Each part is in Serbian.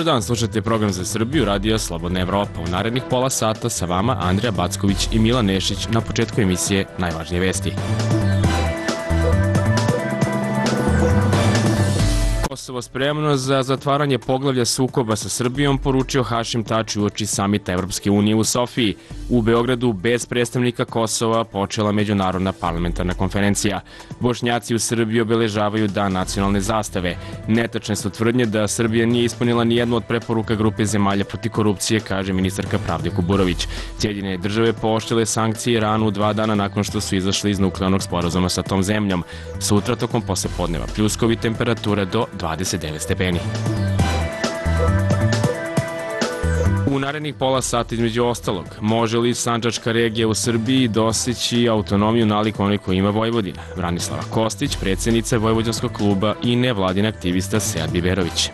dan, slušate program za Srbiju, Radio Slobodna Evropa. U narednih pola sata sa vama Andrija Backović i Milan Nešić. Na početku emisije najvažnije vesti. Kosovo spremno za zatvaranje poglavlja sukoba sa Srbijom, poručio Hašim Tači uoči samita Evropske unije u Sofiji. U Beogradu bez predstavnika Kosova počela međunarodna parlamentarna konferencija. Bošnjaci u Srbiji obeležavaju Dan nacionalne zastave. Netačne su tvrdnje da Srbija nije ispunila ni jednu od preporuka grupe zemalja protiv korupcije, kaže ministarka pravde Kuburović. Sjedinjene države pooštrile sankcije Iranu 2 dana nakon što su izašli iz nuklearnog sporazuma sa tom zemljom. Sutra tokom poslepodneva pljuskovi, temperatura do 29 stepeni. U narednih pola sata između ostalog, može li Sandžačka regija u Srbiji dostići autonomiju nalik onoj koju ima Vojvodina? Branislava Kostić, predsjednica Vojvođanskog kluba i nevladin aktivista Sead Biberović.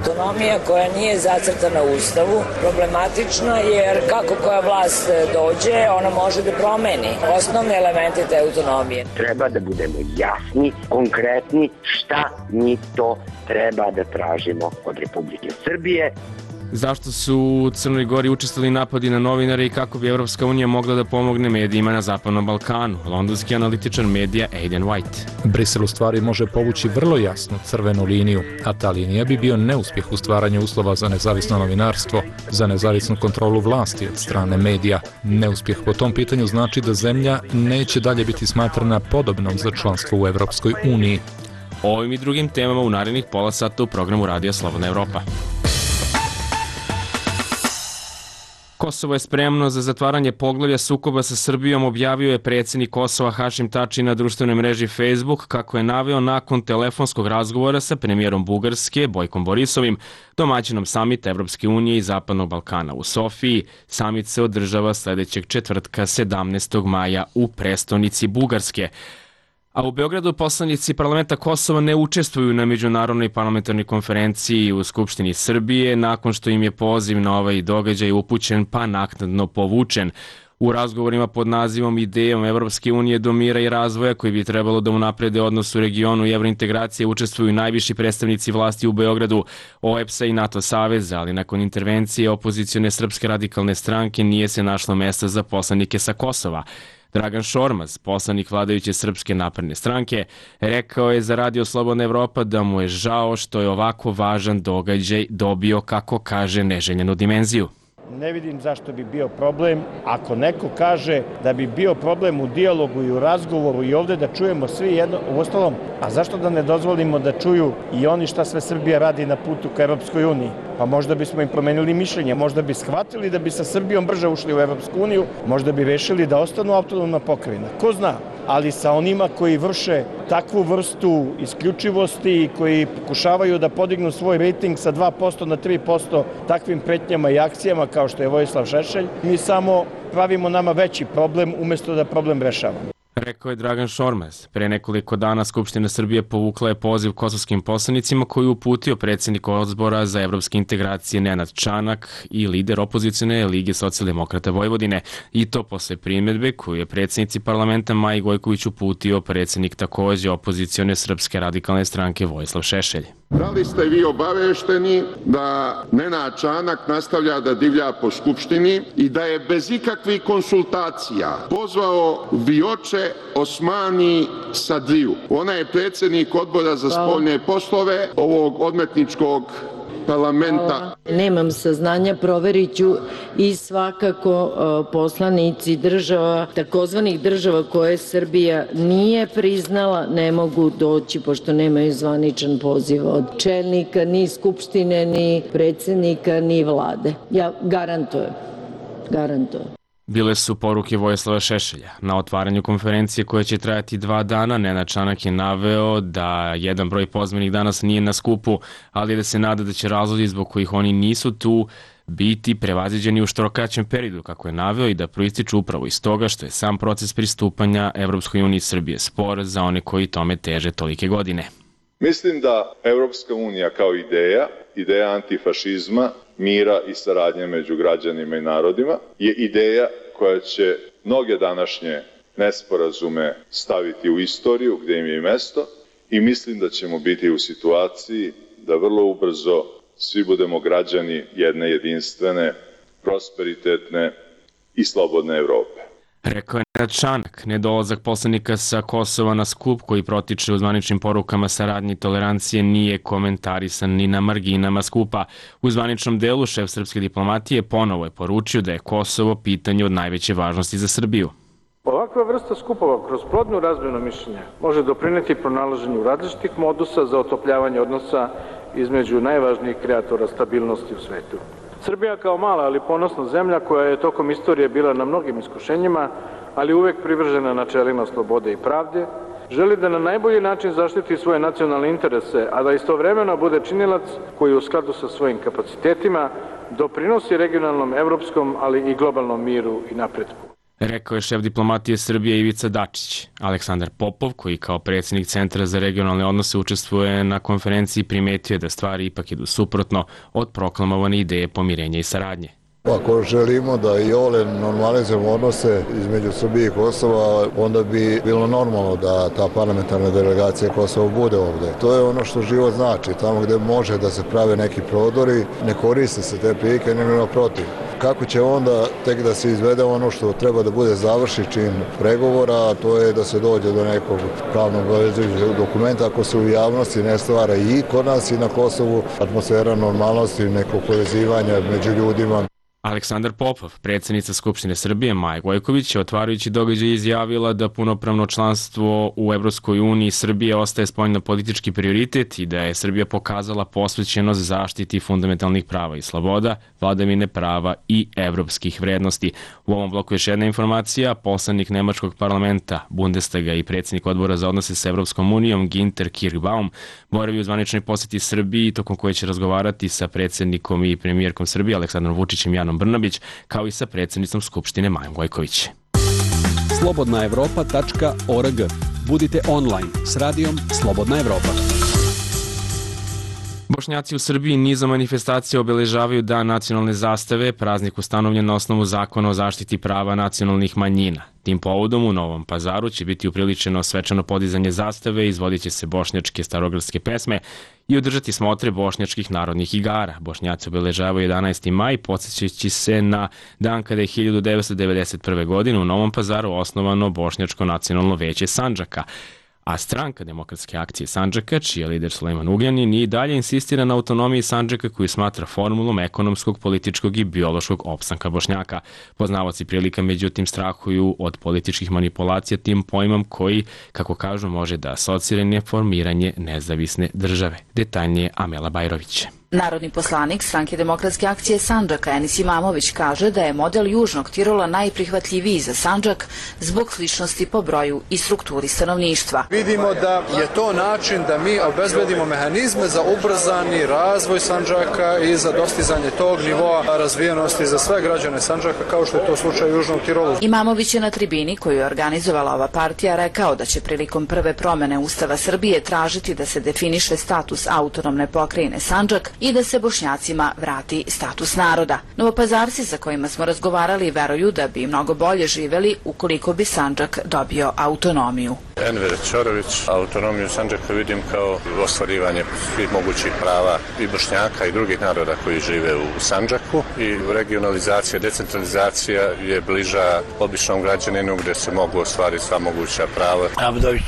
Autonomija koja nije zacrtana u Ustavu problematična jer kako koja vlast dođe, ona može da promeni osnovne elemente te autonomije. Treba da budemo jasni, konkretni šta mi to treba da tražimo od Republike Srbije. Zašto su u Crnoj Gori učestvovali napadi na novinare i kako bi Evropska unija mogla da pomogne medijima na Zapadnom Balkanu? Londonski analitičar medija Aidan White. Brisel u stvari može povući vrlo jasnu crvenu liniju, a ta linija bi bio neuspjeh u stvaranju uslova za nezavisno novinarstvo, za nezavisnu kontrolu vlasti od strane medija. Neuspjeh po tom pitanju znači da zemlja neće dalje biti smatrana podobnom za članstvo u Evropskoj uniji. O ovim i drugim temama u narednih pola sata u programu Radija Slobodna Evropa. Kosovo je spremno za zatvaranje poglavlja sukoba sa Srbijom, objavio je predsjednik Kosova Hašim Tači na društvenoj mreži Facebook, kako je naveo nakon telefonskog razgovora sa premijerom Bugarske Bojkom Borisovim, domaćinom samita Evropske unije i Zapadnog Balkana u Sofiji. Samit se održava sljedećeg četvrtka 17. maja u prestonici Bugarske. A u Beogradu poslanici parlamenta Kosova ne učestvuju na međunarodnoj parlamentarnoj konferenciji u Skupštini Srbije nakon što im je poziv na ovaj događaj upućen pa naknadno povučen. U razgovorima pod nazivom Idejom Evropske unije do mira i razvoja koji bi trebalo da unaprede odnos u regionu i evrointegracije učestvuju najviši predstavnici vlasti u Beogradu, OEBS-a i NATO saveza, ali nakon intervencije opozicione Srpske radikalne stranke nije se našlo mesta za poslanike sa Kosova. Dragan Šormaz, poslanik vladajuće Srpske napredne stranke, rekao je za Radio Slobodna Evropa da mu je žao što je ovako važan događaj dobio, kako kaže, neželjenu dimenziju. Ne vidim zašto bi bio problem ako neko kaže da bi bio problem u dijalogu i u razgovoru i ovdje da čujemo svi jedno, uostalom, a zašto da ne dozvolimo da čuju i oni šta sve Srbija radi na putu ka Evropskoj uniji? Pa možda bismo im promenili mišljenje, možda bi shvatili da bi sa Srbijom brže ušli u Evropsku uniju, možda bi rešili da ostanu autonomna pokrajina. Ko zna? Ali sa onima koji vrše takvu vrstu isključivosti i koji pokušavaju da podignu svoj rejting sa 2% na 3% takvim pretnjama i akcijama kao što je Vojislav Šešelj, mi samo pravimo nama veći problem umjesto da problem rešavamo. Rekao je Dragan Šormaz. Pre nekoliko dana Skupština Srbije povukla je poziv kosovskim poslanicima koji je uputio predsjednik odbora za evropske integracije Nenad Čanak i lider opozicione Lige socijaldemokrata Vojvodine. I to posle primjedbe koju je predsjednici parlamenta Maji Gojković uputio predsjednik takođe opozicione Srpske radikalne stranke Vojislav Šešelj. Da li ste vi obavešteni da Nenad Čanak nastavlja da divlja po Skupštini i da je bez ikakvih konsultacija pozvao Vioče Osmani Sadriju? Ona je predsjednik odbora za spoljne poslove ovog odmetničkog parlamenta. Nemam saznanja, proverit ću i svakako poslanici država, takozvanih država koje Srbija nije priznala, ne mogu doći pošto nemaju zvaničan poziv od čelnika, ni Skupštine, ni predsjednika, ni vlade. Ja garantujem. Bile su poruke Vojislava Šešelja. Na otvaranju konferencije koja će trajati 2 dana, Nenad Čanak je naveo da jedan broj pozvanih danas nije na skupu, ali da se nada da će razlozi zbog kojih oni nisu tu biti prevaziđeni u što kraćem periodu, kako je naveo, i da proističu upravo iz toga što je sam proces pristupanja Evropskoj uniji Srbije spor za one koji tome teže tolike godine. Mislim da Evropska unija kao ideja antifašizma, mira i saradnje među građanima i narodima, je ideja koja će mnoge današnje nesporazume staviti u istoriju gdje im je i mesto i mislim da ćemo biti u situaciji da vrlo ubrzo svi budemo građani jedne jedinstvene, prosperitetne i slobodne Evrope. Rekao je Nenad Čanak. Nedolazak poslanika sa Kosova na skup koji protiče u zvaničnim porukama saradnje i tolerancije nije komentarisan ni na marginama skupa. U zvaničnom delu šef srpske diplomatije ponovo je poručio da je Kosovo pitanje od najveće važnosti za Srbiju. Ovakva vrsta skupova kroz plodnu razmenu mišljenja može doprineti pronalaženju različitih modusa za otopljavanje odnosa između najvažnijih kreatora stabilnosti u svetu. Srbija kao mala ali ponosna zemlja koja je tokom istorije bila na mnogim iskušenjima, ali uvek privržena načelima slobode i pravde, želi da na najbolji način zaštiti svoje nacionalne interese, a da istovremeno bude činilac koji u skladu sa svojim kapacitetima doprinosi regionalnom, evropskom, ali i globalnom miru i napretku. Rekao je šef diplomatije Srbije Ivica Dačić. Aleksandar Popov, koji kao predsjednik Centra za regionalne odnose učestvuje na konferenciji, primetio je da stvari ipak idu suprotno od proklamovane ideje pomirenja i saradnje. Ako želimo da i ole normalizujemo odnose između Srbije i Kosova, onda bi bilo normalno da ta parlamentarna delegacija Kosova bude ovde. To je ono što život znači. Tamo gde može da se prave neki prodori, ne koriste se te prilike, nego naprotiv. Kako će onda tek da se izvede ono što treba da bude završi čin pregovora, a to je da se dođe do nekog pravnog obavezujućeg dokumenta ako se u javnosti ne stvara i kod nas i na Kosovu atmosfera normalnosti, nekog povezivanja među ljudima. Aleksandar Popov, predsjednica Skupštine Srbije Maja Gojković, je otvarajući događaj izjavila da punopravno članstvo u Evropskoj uniji Srbije ostaje spoljno-politički prioritet i da je Srbija pokazala posvećenost zaštiti fundamentalnih prava i sloboda, vladavine prava i evropskih vrednosti. U ovom bloku još jedna informacija. Poslanik Nemačkog parlamenta, Bundestaga i predsjednik odbora za odnose sa Evropskom unijom Ginter Kirchbaum boravi u zvaničnoj posjeti Srbiji, tokom koje će razgovarati sa predsjednikom i premijerkom Srbije Aleksandrom Vučićem i Anom Brnabić, kao i sa predsjednicom Skupštine Majom Gojković. slobodnaevropa.org. Budite online s radijom Slobodna Evropa. Bošnjaci u Srbiji nizom manifestacija obeležavaju Dan nacionalne zastave, praznik ustanovljen na osnovu Zakona o zaštiti prava nacionalnih manjina. Tim povodom u Novom Pazaru će biti upriličeno svečano podizanje zastave, izvodit će se bošnjačke starogradske pesme i održati smotre bošnjačkih narodnih igara. Bošnjaci obeležavaju 11. maj, podsjećajući se na dan kada je 1991. godine u Novom Pazaru osnovano Bošnjačko nacionalno veće Sandžaka. A stranka Demokratske akcije Sandžaka, čiji je lider Sulejman Ugljanin, i dalje insistira na autonomiji Sandžaka koju smatra formulom ekonomskog, političkog i biološkog opstanka Bošnjaka. Poznavaoci prilika međutim strahuju od političkih manipulacija tim pojmom koji, kako kažu, može da asocira na formiranje nezavisne države. Detaljnije Amela Bajrović. Narodni poslanik stranke Demokratske akcije Sandžaka Enis Imamović kaže da je model Južnog Tirola najprihvatljiviji za Sandžak zbog sličnosti po broju i strukturi stanovništva. Vidimo da je to način da mi obezbedimo mehanizme za ubrzani razvoj Sandžaka i za dostizanje tog nivoa razvijenosti za sve građane Sandžaka, kao što je to slučaj u Južnom Tirolu. Imamović je na tribini koju je organizovala ova partija rekao da će prilikom prve promene Ustava Srbije tražiti da se definiše status autonomne pokrajine Sandžak i da se Bošnjacima vrati status naroda. Novopazarci sa kojima smo razgovarali veruju da bi mnogo bolje živeli ukoliko bi Sandžak dobio autonomiju. Enver Ćorović, autonomiju Sandžaka vidim kao ostvarivanje svih mogućih prava i Bošnjaka i drugih naroda koji žive u Sandžaku, i regionalizacija, decentralizacija je bliža običnom građaninu gde se mogu ostvariti sva moguća prava. Abdović,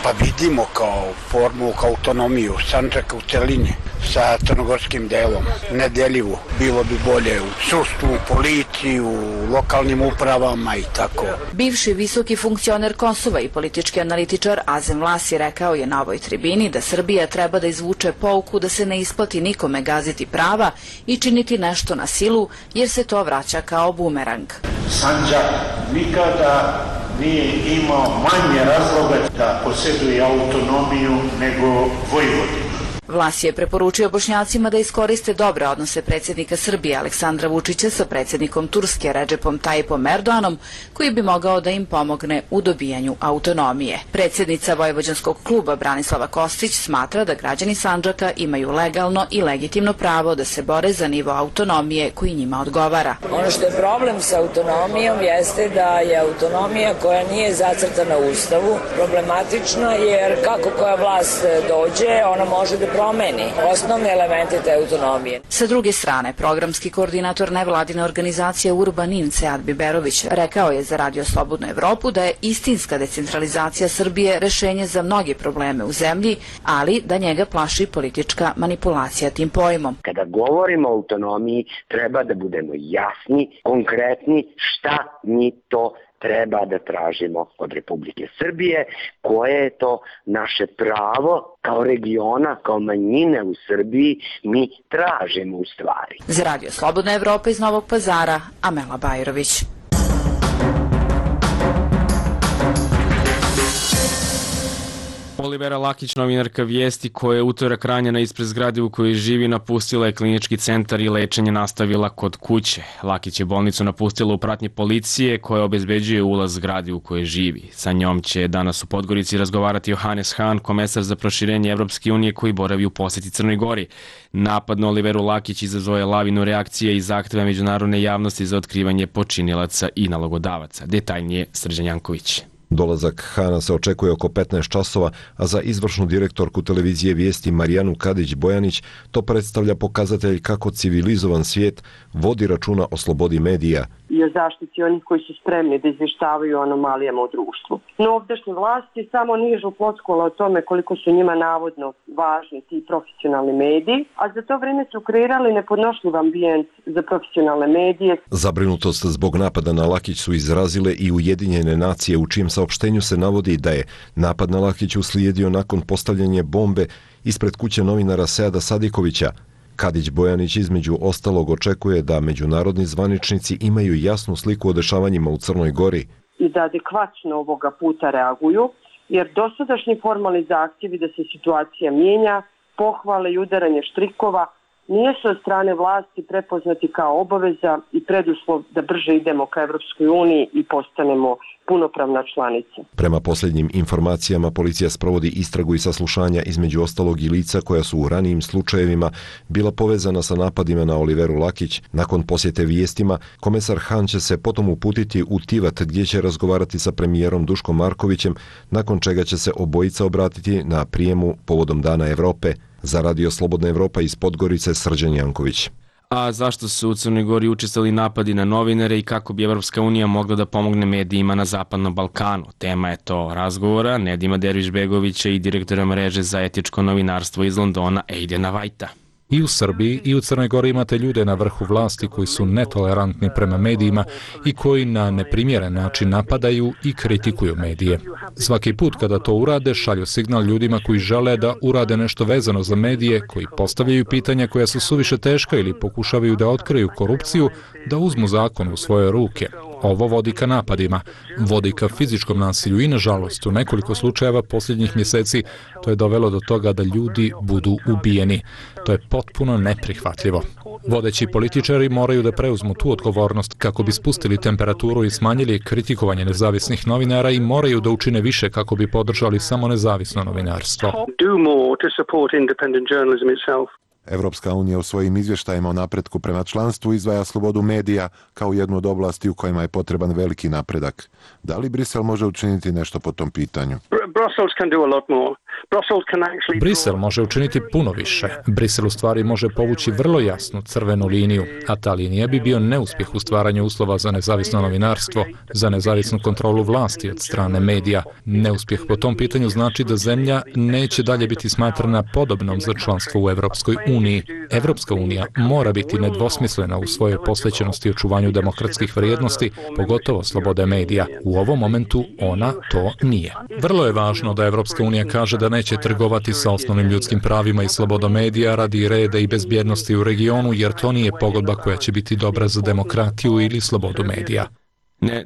pa vidimo kao formu, kao autonomiju Sandžaka u celini sa crnogorskim delom, nedeljivo. Bilo bi bolje u sudstvu, policiju, lokalnim upravama i tako. Bivši visoki funkcioner Kosova i politički analitičar Azem Vlasi rekao je na ovoj tribini da Srbija treba da izvuče pouku da se ne isplati nikome gaziti prava i činiti nešto na silu, jer se to vraća kao bumerang. Sandžak nikada nije imao manje razloga da posjeduje autonomiju nego Vojvodina. Vlas je preporučio Bošnjacima da iskoriste dobre odnose predsjednika Srbije Aleksandra Vučića sa predsjednikom Turske Redžepom Tajipom Erdoganom, koji bi mogao da im pomogne u dobijanju autonomije. Predsjednica Vojvođanskog kluba Branislava Kostić smatra da građani Sandžaka imaju legalno i legitimno pravo da se bore za nivo autonomije koji njima odgovara. Ono što je problem sa autonomijom jeste da je autonomija koja nije zacrtana u Ustavu problematična, jer kako koja vlast dođe, ona može da promeni osnovne elemente te autonomije. Sa druge strane, programski koordinator nevladine organizacije Urbanin Sead Biberović rekao je za Radio Slobodnu Evropu da je istinska decentralizacija Srbije rešenje za mnoge probleme u zemlji, ali da njega plaši politička manipulacija tim pojmom. Kada govorimo o autonomiji, treba da budemo jasni, konkretni, šta mi to treba da tražimo od Republike Srbije, koje je to naše pravo kao regiona, kao manjine u Srbiji, mi tražimo u stvari. Za Radio Slobodna Evropa iz Novog Pazara, Amela Bajrović. Olivera Lakić, novinarka Vijesti, koja je utorak ranjena ispred zgrade u kojoj živi, napustila je klinički centar i lečenje nastavila kod kuće. Lakić je bolnicu napustila u pratnji policije koja obezbeđuje ulaz zgradi u kojoj živi. Sa njom će danas u Podgorici razgovarati Johannes Hahn, komesar za proširenje Evropske unije koji boravi u poseti Crnoj Gori. Napad na Oliveru Lakić izazvao je lavinu reakcije i zahteva međunarodne javnosti za otkrivanje počinilaca i nalogodavaca. Detaljnije Srđan Janković. Dolazak Hana se očekuje oko 15 časova, a za izvršnu direktorku televizije Vijesti Marijanu Kadić-Bojanić to predstavlja pokazatelj kako civilizovan svijet vodi računa o slobodi medija i o zaštiti onih koji su spremni da izvještavaju o anomalijama u društvu. No ovdašnje vlasti samo nižu floskule o tome koliko su njima navodno važni ti profesionalni mediji, a za to vrijeme su kreirali nepodnošljiv ambijent za profesionalne medije. Zabrinutost zbog napada na Lakić su izrazile i Ujedinjene nacije, u čijem saopštenju se navodi da je napad na Lakić uslijedio nakon postavljanja bombe ispred kuće novinara Seada Sadikovića. Kadić-Bojanić između ostalog očekuje da međunarodni zvaničnici imaju jasnu sliku o dešavanjima u Crnoj Gori. I da adekvatno ovoga puta reaguju, jer dosadašnji formalni zahtjevi da se situacija mijenja, pohvale i udaranje štrikova nisu od strane vlasti prepoznati kao obaveza i preduslov da brže idemo ka Evropskoj uniji i postanemo punopravna članica. Prema posljednjim informacijama, policija sprovodi istragu i saslušanja između ostalog i lica koja su u ranijim slučajevima bila povezana sa napadima na Oliveru Lakić. Nakon posjete Vijestima, komesar Hahn će se potom uputiti u Tivat gdje će razgovarati sa premijerom Duškom Markovićem, nakon čega će se obojica obratiti na prijemu povodom Dana Evrope. Za Radio Slobodna Evropa iz Podgorice, Srđan Janković. A zašto su u Crnoj Gori učestali napadi na novinare i kako bi Evropska unija mogla da pomogne medijima na Zapadnom Balkanu? Tema je to razgovora Nedima Derviš-Begovića i direktora mreže za etičko novinarstvo iz Londona, Aidena Whitea. I u Srbiji i u Crnoj Gori imate ljude na vrhu vlasti koji su netolerantni prema medijima i koji na neprimjeren način napadaju i kritikuju medije. Svaki put kada to urade, šalju signal ljudima koji žele da urade nešto vezano za medije, koji postavljaju pitanja koja su suviše teška ili pokušavaju da otkriju korupciju, da uzmu zakon u svoje ruke. Ovo vodi ka napadima, vodi ka fizičkom nasilju i, nažalost, u nekoliko slučajeva posljednjih mjeseci to je dovelo do toga da ljudi budu ubijeni. To je potpuno neprihvatljivo. Vodeći političari moraju da preuzmu tu odgovornost kako bi spustili temperaturu i smanjili kritikovanje nezavisnih novinara i moraju da učine više kako bi podržali samo nezavisno novinarstvo. Evropska unija u svojim izvještajima o napretku prema članstvu izdvaja slobodu medija kao jednu od oblasti u kojima je potreban veliki napredak. Da li Brisel može učiniti nešto po tom pitanju? Brisel može učiniti puno više. Brisel u stvari može povući vrlo jasnu crvenu liniju, a ta linija bi bio neuspjeh u stvaranju uslova za nezavisno novinarstvo, za nezavisnu kontrolu vlasti od strane medija. Neuspjeh po tom pitanju znači da zemlja neće dalje biti smatrana podobnom za članstvo u Evropskoj uniji. Evropska unija mora biti nedvosmislena u svojoj posvećenosti očuvanju demokratskih vrijednosti, pogotovo slobode medija. U ovom momentu ona to nije. Vrlo je važno da Evropska unija kaže da neće trgovati sa osnovnim ljudskim pravima i slobodom medija radi reda i bezbjednosti u regionu, jer to nije pogodba koja će biti dobra za demokratiju ili slobodu medija.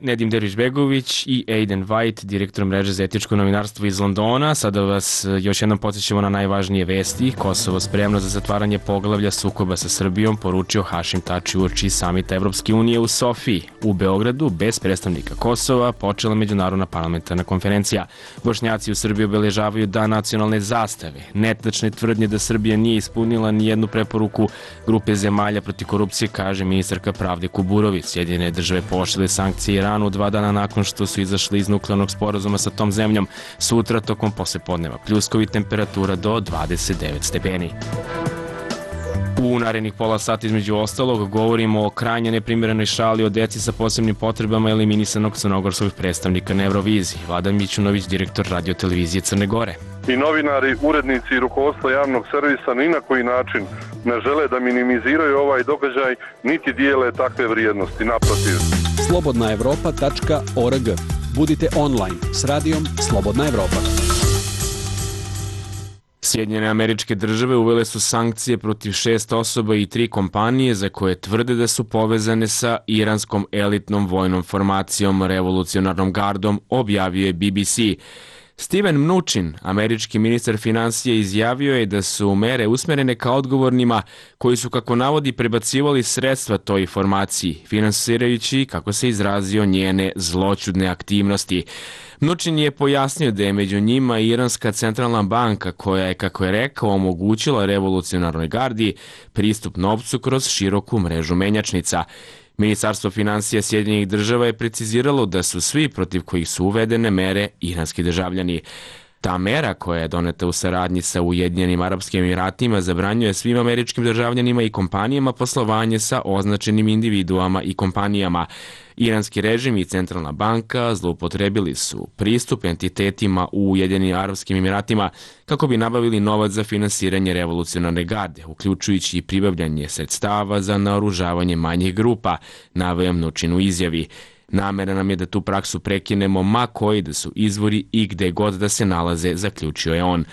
Nedim Derviš-Begović i Aiden White, direktor mreže za etičko novinarstvo iz Londona. Sada vas još jednom podsjećamo na najvažnije vesti. Kosovo spremno za zatvaranje poglavlja sukoba sa Srbijom, poručio Hašim Tači uoči samita Evropske unije u Sofiji. U Beogradu, bez predstavnika Kosova, počela međunarodna parlamentarna konferencija. Bošnjaci u Srbiji obeležavaju Dan nacionalne zastave. Netačne tvrdnje da Srbija nije ispunila ni jednu preporuku grupe zemalja protiv korupcije, kaže ministarka pravde Kuburović. Sjedinjene države pooštrile sankcije sankcije Iranu 2 dana nakon što su izašli iz nuklearnog sporazuma sa tom zemljom. Sutra tokom poslepodneva pljuskovi, temperatura do 29 stepeni. U narednih pola sata između ostalog govorimo o krajnje neprimjerenoj šali o deci sa posebnim potrebama eliminisanog crnogorskog predstavnika na Euroviziji. Vladan Mićunović, direktor Radio-televizije Crne Gore. I novinari, urednici i rukovodstvo javnog servisa ni na koji način ne žele da minimiziraju ovaj događaj, niti dijele takve vrijednosti, naprotiv. slobodnaevropa.org. Budite online s radijom Slobodna Evropa. Sjedinjene Američke Države uvele su sankcije protiv 6 osoba i 3 kompanije za koje tvrde da su povezane sa iranskom elitnom vojnom formacijom Revolucionarnom gardom, objavio je BBC. Steven Mnuchin, američki ministar finansija, izjavio je da su mere usmerene ka odgovornima koji su, kako navodi, prebacivali sredstva toj formaciji, finansirajući, kako se izrazio, njene zloćudne aktivnosti. Mnuchin je pojasnio da je među njima Iranska centralna banka koja je, kako je rekao, omogućila Revolucionarnoj gardi pristup novcu kroz široku mrežu menjačnica. Ministarstvo finansija Sjedinjenih Država je preciziralo da su svi protiv kojih su uvedene mere iranski državljani. Ta mera, koja je doneta u saradnji sa Ujedinjenim Arapskim Emiratima, zabranjuje svim američkim državljanima i kompanijama poslovanje sa označenim individuama i kompanijama. Iranski režim i centralna banka zloupotrebili su pristup entitetima u Ujedinjenim Arapskim Emiratima kako bi nabavili novac za finansiranje Revolucionarne garde, uključujući i pribavljanje sredstava za naoružavanje manjih grupa, naveo Mnuchin u izjavi. Namera nam je da tu praksu prekinemo ma koji da su izvori i gde god da se nalaze, zaključio je on.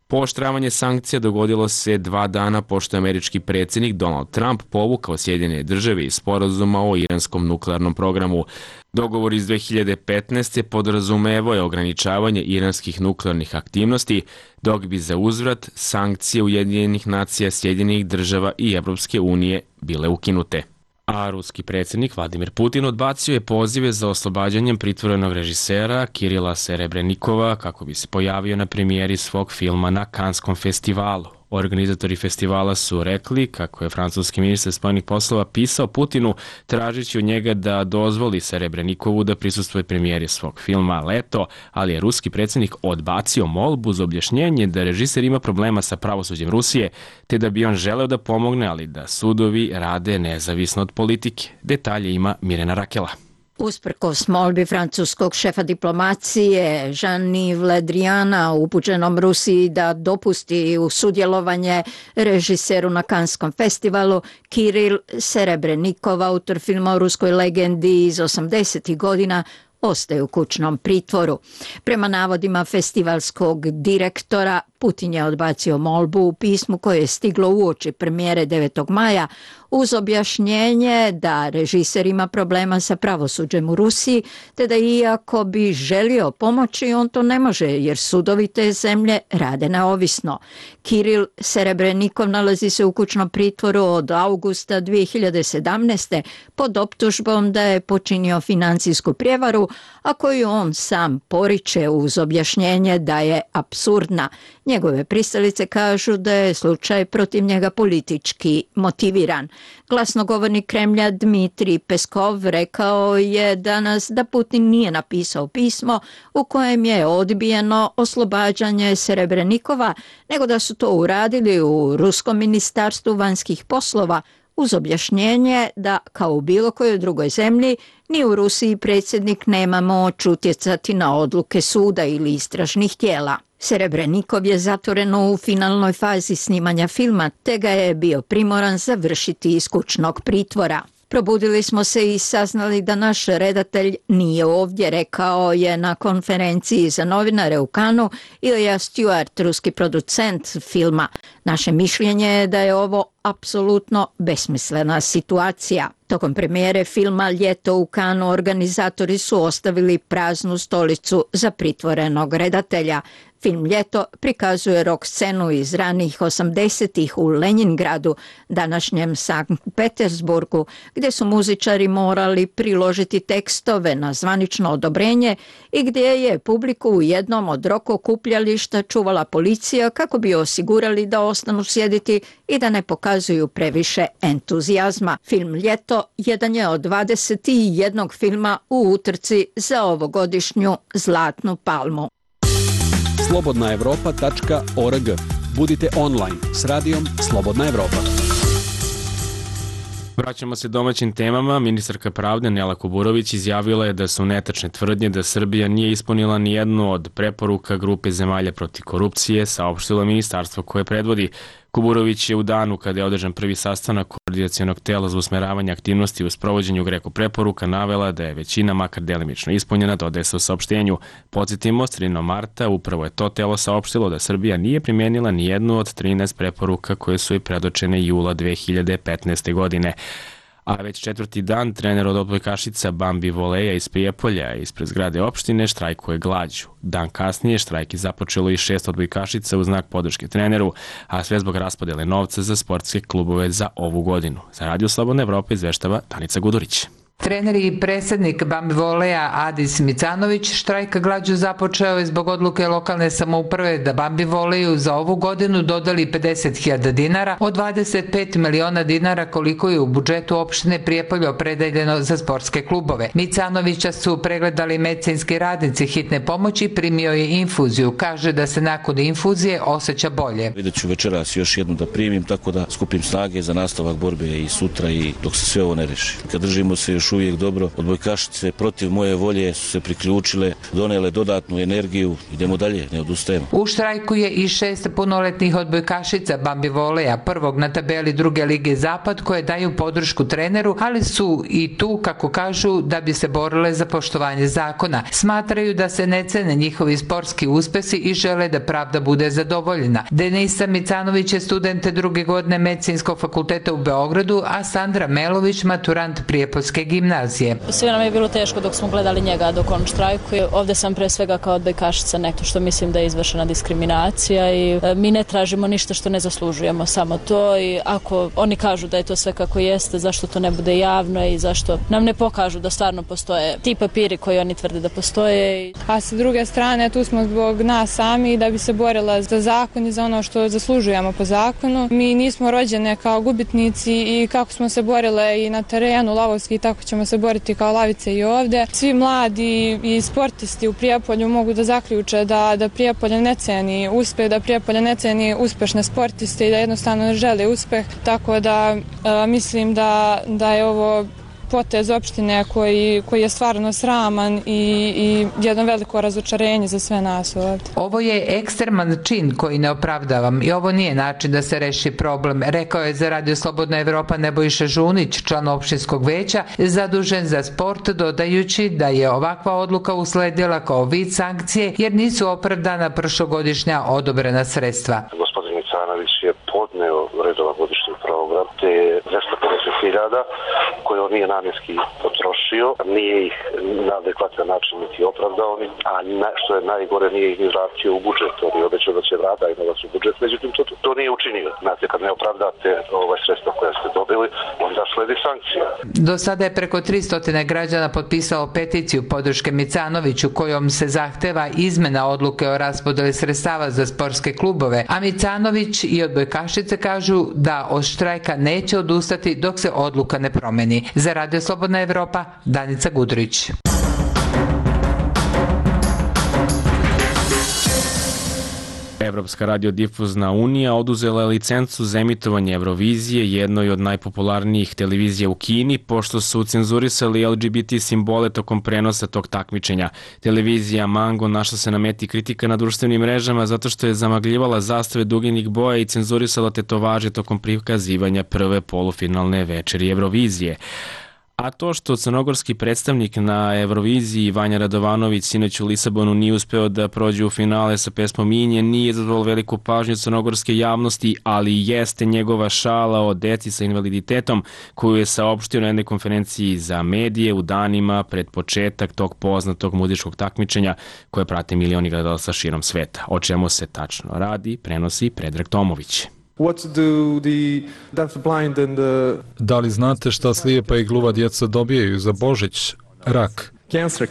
Pooštravanje sankcija dogodilo se 2 dana pošto je američki predsjednik Donald Trump povukao Sjedinjene Države iz sporazuma o iranskom nuklearnom programu. Dogovor iz 2015. podrazumevao je ograničavanje iranskih nuklearnih aktivnosti, dok bi za uzvrat sankcije Ujedinjenih nacija, Sjedinjenih Država i Evropske unije bile ukinute. A ruski predsjednik Vladimir Putin odbacio je pozive za oslobađanjem pritvorenog režisera Kirila Serebrenikova kako bi se pojavio na premijeri svog filma na Kanskom festivalu. Organizatori festivala su rekli kako je francuski ministar spoljnih poslova pisao Putinu tražići od njega da dozvoli Serebrenikovu da prisustvuje premijeri svog filma Leto, ali je ruski predsjednik odbacio molbu uz objašnjenje da režiser ima problema sa pravosuđem Rusije, te da bi on želeo da pomogne, ali da sudovi rade nezavisno od politike. Detalje ima Mirena Rakela. Usprkos molbi francuskog šefa diplomacije Jean-Yves Le Driana upućenom Rusiji da dopusti u sudjelovanje režiseru na Kanskom festivalu, Kiril Serebrenikov, autor filma o ruskoj legendi iz 80. godina, ostaje u kućnom pritvoru. Prema navodima festivalskog direktora, Putin je odbacio molbu u pismu koje je stiglo uoči premijere 9. maja uz objašnjenje da režiser ima problema sa pravosuđem u Rusiji, te da iako bi želio pomoći, on to ne može jer sudovi te zemlje rade neovisno. Kiril Serebrenikov nalazi se u kućnom pritvoru od augusta 2017. pod optužbom da je počinio financijsku prijevaru, a koju on sam poriče uz objašnjenje da je apsurdna. Njegove pristalice kažu da je slučaj protiv njega politički motiviran. Glasnogovornik Kremlja Dmitrij Peskov rekao je danas da Putin nije napisao pismo u kojem je odbijeno oslobađanje Serebrenikova, nego da su to uradili u Ruskom ministarstvu vanjskih poslova uz objašnjenje da, kao u bilo kojoj drugoj zemlji, ni u Rusiji predsjednik nema moć utjecati na odluke suda ili istražnih tijela. Serebrenikov je zatvoren u finalnoj fazi snimanja filma, te ga je bio primoran završiti iz kućnog pritvora. Probudili smo se i saznali da naš redatelj nije ovdje, rekao je na konferenciji za novinare u Kanu Ilja Stewart, ruski producent filma. Naše mišljenje je da je ovo apsolutno besmislena situacija. Tokom premijere filma Ljeto u Kanu organizatori su ostavili praznu stolicu za pritvorenog redatelja. Film Ljeto prikazuje rock scenu iz ranih 80-ih u Lenjingradu, današnjem Sankt Petersburgu, gdje su muzičari morali priložiti tekstove na zvanično odobrenje i gdje je publiku u jednom od rock okupljališta čuvala policija kako bi osigurali da ostanu sjediti i da ne pokazuju previše entuzijazma. Film Ljeto video jedan je od 21 filma u utrci za ovogodišnju Zlatnu palmu. slobodnaevropa.org. Budite online s radijom Slobodna Evropa. Vraćamo se domaćim temama. Ministarka pravde Nela Kuburović izjavila je da su netačne tvrdnje da Srbija nije ispunila ni jednu od preporuka grupe zemalja protiv korupcije, saopštilo ministarstvo koje predvodi. Kuburović je u danu kada je održan prvi sastanak koordinacionog tela za usmeravanje aktivnosti u sprovođenju GRECO preporuka navela da je većina makar delimično ispunjena, dodaje se u saopštenju. Podsjetimo, sredinom marta upravo je to telo saopštilo da Srbija nije primenila ni jednu od 13 preporuka koje su joj predočene jula 2015. godine. A već četvrti dan trener od odbojkašica Bambi Voleja iz Prijepolja ispred zgrade opštine štrajkuje glađu. Dan kasnije štrajk je započelo i 6 odbojkašica u znak podrške treneru, a sve zbog raspodele novca za sportske klubove za ovu godinu. Za Radio Slobodna Evropa izveštava Danica Gudurić. Trener i predsjednik Bambi Voleja Adis Micanović štrajk glađu započeo je zbog odluke lokalne samouprave da Bambi Voleju za ovu godinu dodali 50.000 dinara od 25 miliona dinara koliko je u budžetu opštine Prijepolje opredeljeno za sportske klubove. Micanovića su pregledali medicinski radnici hitne pomoći, primio je infuziju. Kaže da se nakon infuzije osjeća bolje. Vidjet ću večeras još jednu da primim, tako da skupim snage za nastavak borbe i sutra i dok se sve ovo ne reši. Kad držimo se još uvijek dobro, odbojkašice protiv moje volje su se priključile, donele dodatnu energiju, idemo dalje, ne odustajemo. U štrajku je i 6 punoletnih odbojkašica Bambi Voleja, prvog na tabeli druge lige Zapad, koje daju podršku treneru, ali su i tu, kako kažu, da bi se borile za poštovanje zakona. Smatraju da se ne cene njihovi sportski uspesi i žele da pravda bude zadovoljena. Denisa Micanović je student druge godine Medicinskog fakulteta u Beogradu, a Sandra Melović maturant Prijepoljske gimnazije. Sve nam je bilo teško dok smo gledali njega dok on štrajkuje. Ovde sam pre svega kao odbojkašica nekto što mislim da je izvršena diskriminacija i mi ne tražimo ništa što ne zaslužujemo, samo to, i ako oni kažu da je to sve kako jeste, zašto to ne bude javno i zašto nam ne pokažu da stvarno postoje ti papiri koji oni tvrde da postoje. A sa druge strane tu smo zbog nas sami da bi se borila za zakon i za ono što zaslužujemo po zakonu. Mi nismo rođene kao gubitnici i kako smo se borile i na terenu lavovski, tako ćemo se boriti kao lavice i ovde. Svi mladi i sportisti u Prijepolju mogu da zaključe da Prijepolje ne ceni uspeh, da Prijepolje ne ceni uspešne sportiste i da jednostavno ne žele uspeh, tako da mislim da je ovo potez opštine koji je stvarno sraman i jedno veliko razočarenje za sve nas ovdje. Ovo je ekstreman čin koji ne opravdavam i ovo nije način da se reši problem, rekao je za Radio Slobodna Evropa Nebojša Žunić, član opštinskog veća, zadužen za sport, dodajući da je ovakva odluka usledila kao vid sankcije jer nisu opravdana prošlogodišnja odobrena sredstva. Gospodin Micanović je podneo redovan godišnji program te 250.000 koje on nije namjenski potrošio, nije ih na adekvatan način niti opravdao, a što je najgore nije ih ni vratio u budžet. On je obećao da će vratiti novac u budžet, međutim to nije učinio. Znate, kad ne opravdate sredstva koje ste dobili, onda sledi sankcija. Do sada je preko 300 građana potpisalo peticiju podrške Micanoviću kojom se zahteva izmena odluke o raspodeli sredstava za sportske klubove, a Micanović i odbojkašice kažu da od štrajka neće odustati dok se odluka ne promeni. Za Radio Slobodna Evropa, Danica Gudurić. Evropska radiodifuzna unija oduzela je licencu za emitovanje Eurovizije, jednoj od najpopularnijih televizija u Kini, pošto su cenzurisali LGBT simbole tokom prenosa tog takmičenja. Televizija Mango našla se na meti kritika na društvenim mrežama zato što je zamagljivala zastave duginih boja i cenzurisala tetovaže tokom prikazivanja prve polufinalne večeri Eurovizije. A to što crnogorski predstavnik na Euroviziji Vanja Radovanović sinoć u Lisabonu nije uspeo da prođe u finale sa pesmom Inje nije izazvalo veliku pažnju crnogorske javnosti, ali jeste njegova šala o deci sa invaliditetom koju je saopštio na jednoj konferenciji za medije u danima pred početak tog poznatog muzičkog takmičenja koje prate milioni gledalaca širom sveta. O čemu se tačno radi, prenosi Predrag Tomović. Da li znate šta slijepa i gluva djeca dobijaju za Božić? Rak. Cancer,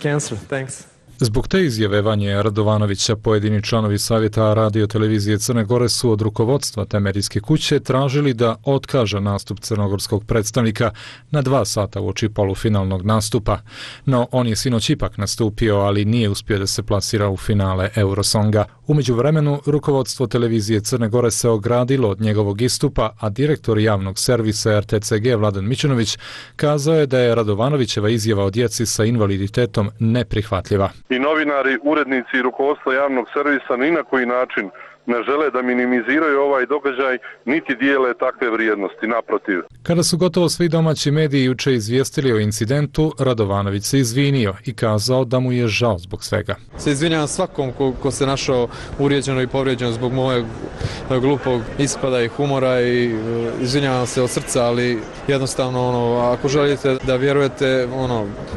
thanks. Zbog te izjave Vanje Radovanovića, pojedini članovi Savjeta radio televizije Crne Gore su od rukovodstva te medijske kuće tražili da otkaže nastup crnogorskog predstavnika na 2 sata uoči polufinalnog nastupa. No, on je sinoć ipak nastupio, ali nije uspio da se plasira u finale Eurosonga. U međuvremenu, rukovodstvo televizije Crne Gore se ogradilo od njegovog istupa, a direktor javnog servisa RTCG Vladan Mićunović kazao je da je Radovanovićeva izjava o djeci sa invaliditetom neprihvatljiva. I novinari, urednici i rukovodstvo javnog servisa ni na koji način ne žele da minimiziraju ovaj događaj, niti dijele takve vrijednosti, naprotiv. Kada su gotovo svi domaći mediji juče izvijestili o incidentu, Radovanović se izvinio i kazao da mu je žao zbog svega. Se izvinjavam svakom ko se našao uvrijeđeno i povrijeđeno zbog mojeg glupog ispada i humora i izvinjavam se od srca, ali jednostavno ako želite da vjerujete,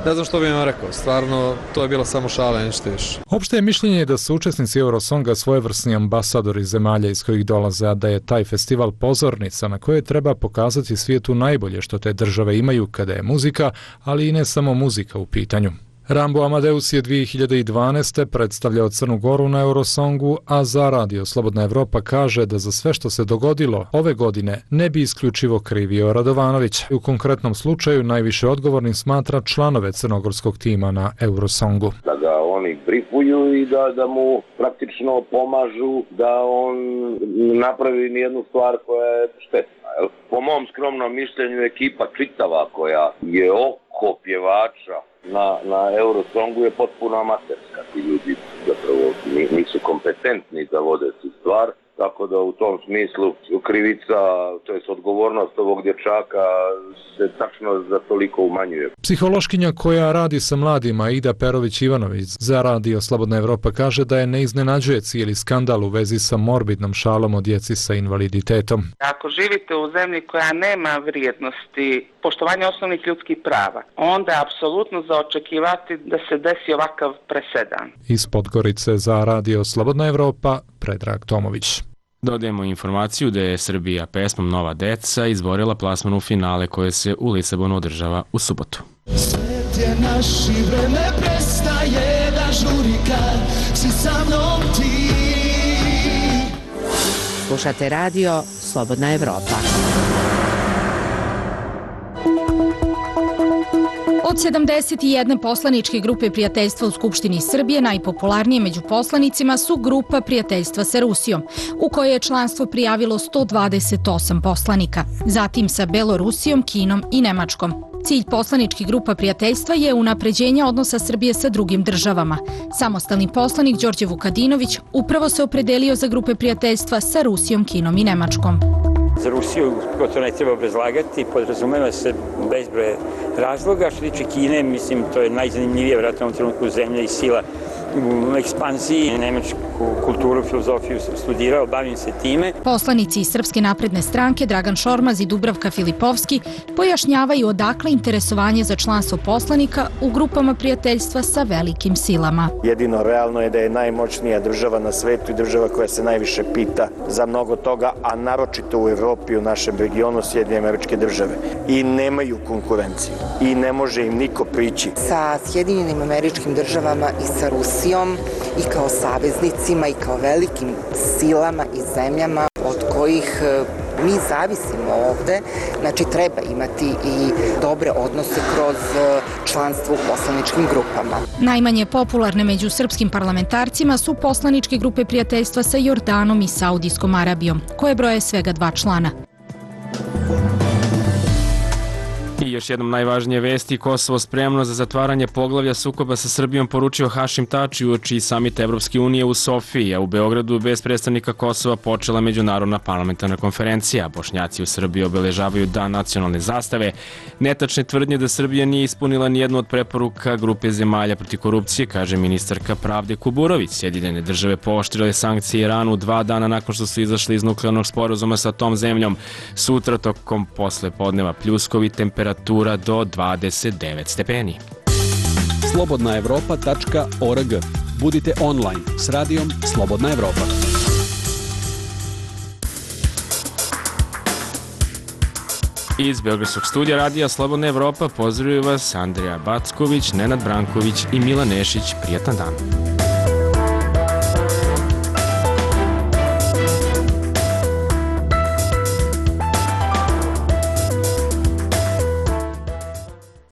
ne znam što bih vam rekao, stvarno to je bilo samo šala, ništa više. Opšte je mišljenje da su učesnici Eurosonga svojevrsni ambasadori zemalja iz kojih dolaze, a da je taj festival pozornica na kojoj treba pokazati svijetu najbolje što te države imaju kada je muzika, ali i ne samo muzika u pitanju. Rambo Amadeus je 2012. predstavljao Crnu Goru na Eurosongu, a za radio Slobodna Evropa kaže da za sve što se dogodilo ove godine ne bi isključivo krivio Radovanović. U konkretnom slučaju najviše odgovornim smatra članove crnogorskog tima na Eurosongu. Da ga oni brifuju i da mu praktično pomažu da on napravi nijednu stvar koja je štetna. Po mom skromnom mišljenju ekipa čitava koja je oko pjevača na Eurosongu je potpuno amaterska. Ti ljudi zapravo nisu kompetentni da vode tu stvar, tako da u tom smislu krivica, to jest odgovornost ovog dječaka se tačno za toliko umanjuje. Psihološkinja koja radi sa mladima, Ida Perović-Ivanović, za radio Slobodna Evropa kaže da je ne iznenađuje cijeli skandal u vezi sa morbidnom šalom o djeci sa invaliditetom. Ako živite u zemlji koja nema vrijednosti poštovanja osnovnih ljudskih prava, onda je apsolutno za očekivati da se desi ovakav presedan. Iz Podgorice za radio Slobodna Evropa, Predrag Tomović. Dodajemo informaciju da je Srbija pesmom Nova deca izborila plasman u finale koje se u Lisabonu održava u subotu. Svet je naš i vreme prestaje da žuri kad si sa mnom ti. Slušate radio Slobodna Evropa. Od 71 poslaničke grupe prijateljstva u Skupštini Srbije, najpopularnije među poslanicima su Grupa prijateljstva sa Rusijom, u kojoj je članstvo prijavilo 128 poslanika. Zatim sa Belorusijom, Kinom i Nemačkom. Cilj poslaničkih grupa prijateljstva je unapređenje odnosa Srbije sa drugim državama. Samostalni poslanik Đorđe Vukadinović upravo se opredelio za grupe prijateljstva sa Rusijom, Kinom i Nemačkom. Za Rusiju, to ne treba obrazlagati, podrazumeva se bezbroj razloga. Što tiče Kine, mislim, to je najzanimljivija vjerojatno u ovom trenutku zemlja i sila u ekspanziji. Nemačku kulturu, filozofiju sam studirao, bavim se time. Poslanici iz Srpske napredne stranke Dragan Šormaz i Dubravka Filipovski pojašnjavaju odakle interesovanje za članstvo poslanika u grupama prijateljstva sa velikim silama. Jedino realno je da je najmoćnija država na svetu i država koja se najviše pita za mnogo toga, a naročito u Evropi, u našem regionu, Sjedinjene Američke Države. I nemaju konkurenciju i ne može im niko prići. Sa Sjedinjenim Američkim Državama i sa Rusijom i kao saveznicima i kao velikim silama i zemljama od kojih mi zavisimo ovde, znači treba imati i dobre odnose kroz članstvo u poslaničkim grupama. Najmanje popularne među srpskim parlamentarcima su poslaničke grupe prijateljstva sa Jordanom i Saudijskom Arabijom, koje broje svega 2 člana. I još jednom najvažnije vesti, Kosovo spremno za zatvaranje poglavlja sukoba sa Srbijom, poručio Hašim Tači uoči samita Evropske unije u Sofiji, a u Beogradu bez predstavnika Kosova počela međunarodna parlamentarna konferencija. Bošnjaci u Srbiji obeležavaju Dan nacionalne zastave. Netačne tvrdnje da Srbija nije ispunila nijednu od preporuka grupe zemalja protiv korupcije, kaže ministarka pravde Kuburović. Sjedinjene države pooštrile sankcije Iranu 2 dana nakon što su izašli iz nuklearnog sporazuma sa tom zemljom. Sutra tokom posle podneva pljuskovi, temperatura do 29 stepeni. slobodnaevropa.org. Budite online s radijom Slobodna Evropa. Iz Beogradskog studija radija Slobodna Evropa pozdravljaju vas Andrija Backović, Nenad Branković i Milan Nešić. Prijatan dan.